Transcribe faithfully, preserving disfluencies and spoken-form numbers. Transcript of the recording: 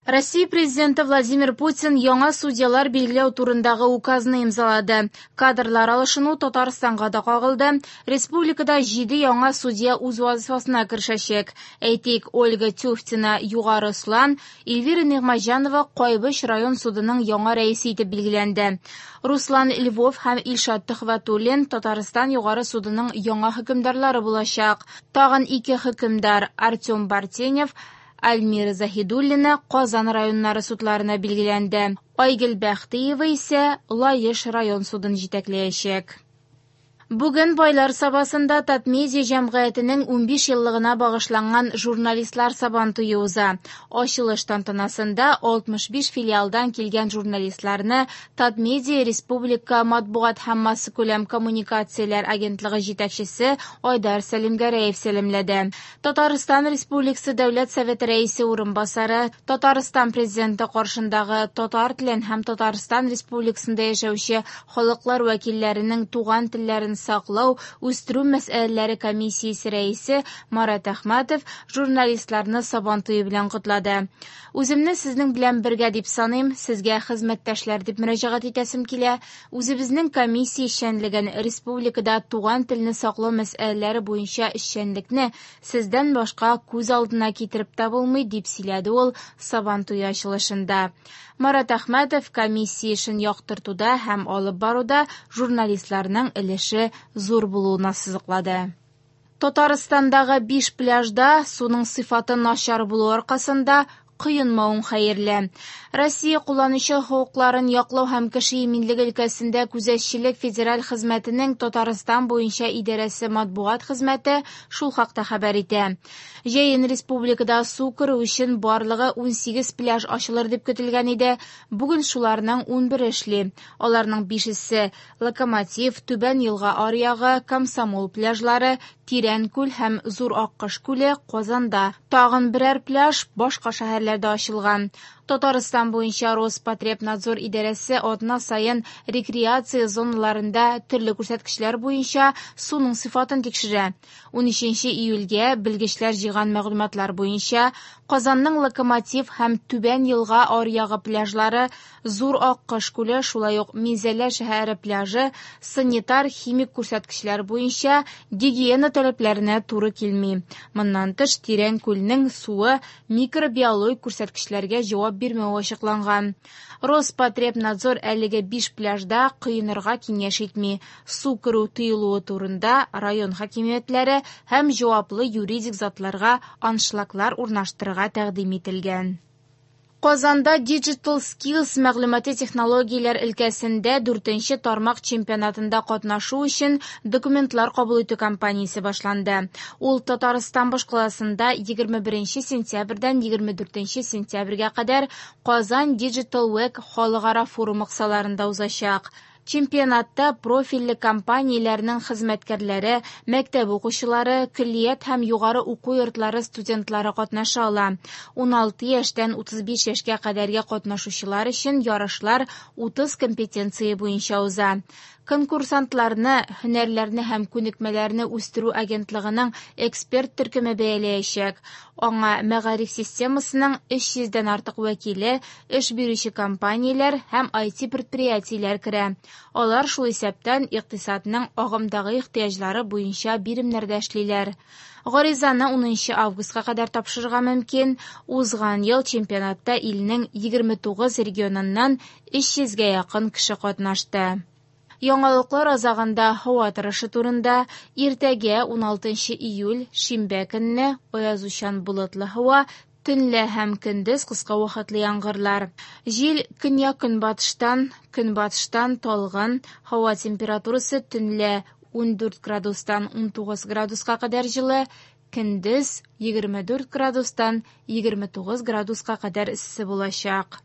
Россия Президенты Владимир Путин яңа судьялар билгеләү турындагы указны имзалады. Кадрлар алышыну Татарстанга да кагылды. Республикада җиде яңа судья үз вазифасына керешәчәк. Әйтик, Ольга Тюфтина Югары Ослан, Эльвира Нигъмәтҗанова Кайбыч район судының яңа рәисе итеп билгеләнде. Руслан Львов һәм Илшат Төхвәтуллин Татарстан Югары судының яңа хөкемдарлары булачак. Тагын ике хөкемдар Артем Бартенев, Альмира Заһидуллина Казан районнары судларына билгеләнде. Айгөл Бәхтиева исә Лаеш район судын җитәкләячәк. Бүген Байлар Сабасында Татмедиа җәмгыятенең унбиш еллыгына багышланган журналистлар сабантуе уза. Ачылыш тантанасында алтмыш биш филиалдан килгән журналистларны Татмедиа Республика матбугат һәм массакүләм коммуникацияләр агентлыгы җитәкчесе Айдар Сәлимгәрәев сәламләде. Татарстан Республикасы Дәүләт Советы рәисе урынбасары, Татарстан Президенты каршындагы татар телен һәм Татарстан Республикасында яшәүче халыклар вәкилләренең туган телләрен саклау, үстерү мәсьәләләре комиссиясе рәисе Марат Әхмәтов журналистларны сабантуе белән котлады. Үземне сезнең белән бергә дип саныйм, сезгә хезмәттәшләр дип мөрәҗәгать итәсем килә. Үзебезнең комиссия эшчәнлеген, республикада туган телне саклау мәсьәләләре буенча эшчәнлекне сездән башка күз алдына китереп тә булмый, дип сөйләде ул сабантуе ачылышында. Марат Әхмәтов комиссия эшен яктыртуда һәм алып баруда журналистларның өлеше зур булуын ассызыклады. Татарстандагы биш пляжда суның сыйфаты начар булу аркасында коенмавың хәерле. Россия кулланучы хокукларын яклау һәм кеше иминлеге өлкәсендә күзәтчелек федераль хезмәтенең Татарстан буенча идарәсе матбугат хезмәте шул хакта хәбәр итә. Җәен республикада су керү өчен барлыгы унсигез пляж ачылыр дип көтелгән иде. Бүген шуларның унбере эшли. Аларның бишесе Локомотив, Түбән Елга аръягы, Комсомол пляжлары, Тирән күл һәм Зур Аккош күле Казанда. Тагын берәр пляж башка шәһәрләрдә ачылган. Татарстан буенча Роспотребнадзор идарәсе атна саен рекреация зоналарында төрле күрсәткечләр буенча суның сыйфатын тикшерә. Унөченче июльгә белгечләр җыйган мәгълүматлар буенча Казанның Локомотив һәм Түбән Елга аръягы пляжлары, Зур Аккош күле, шулай ук Минзәлә шәһәре пляжы санитар-химик күрсәткечләр буенча гигиена таләпләренә туры килми. Моннан тыш, Тирән күлнең суы микробиологик күрсәткечләргә җавап бирмәве ачыкланган. Роспотребнадзор әлеге биш пляжда коенырга киңәш итми. Су керү тыелуы турында район хакимиятләре һәм җаваплы юридик затларга аншлаглар урнаштырырга тәкъдим ителгән. Казанда Digital Skills мәгълүмати технологияләр өлкәсендә дүртенче тармак чемпионатында катнашу өчен документлар кабул итү кампаниясе башланды. Ул Татарстан башкаласында егерме беренче сентябрьдән егерме дүртенче сентябрьгә кадәр Казан Digital Week халыкара форумы кысаларында узачак. Чемпионатта профильле компанияләрнең хезмәткәрләре, мәктәп укучылары, көллият һәм югары уку йортлары студентлары катнаша ала. Уналты яшьтән утыз биш яшькә кадәрге катнашучылар өчен ярышлар утыз компетенция буенча уза. Конкурсантларны, һөнәрләрне һәм күнекмәләрне үстерү агентлыгының эксперт төркеме бәяләячәк. Аңа мәгариф системасының өч йөздән артык вәкиле, эш бирүче компанияләр һәм ай ти предприятиеләр керә. Алар шул исәптән икътисадның агымдагы ихтыяҗлары буенча биремнәрдә эшлиләр. Гаризаны унынчы августка кадәр тапшырырга мөмкин. Узган ел чемпионатта илнең егерме тугыз регионыннан өч йөзгә якын кеше катнашты. Яңалыклар азагында һава торышы турында. Иртәгә уналтынчы июль шимбә көнне аязучан болытлы һава, төнлә һәм көндез кыска вакытлы яңгырлар. Җил көньяк-көнбатыштан, көнбатыштан талгын, һава температурасы төнлә ундүрт градустан унтугыз градуска кадәр җылы, көндез егерме дүрт градустан егерме тугыз градуска кадәр эссе булачак.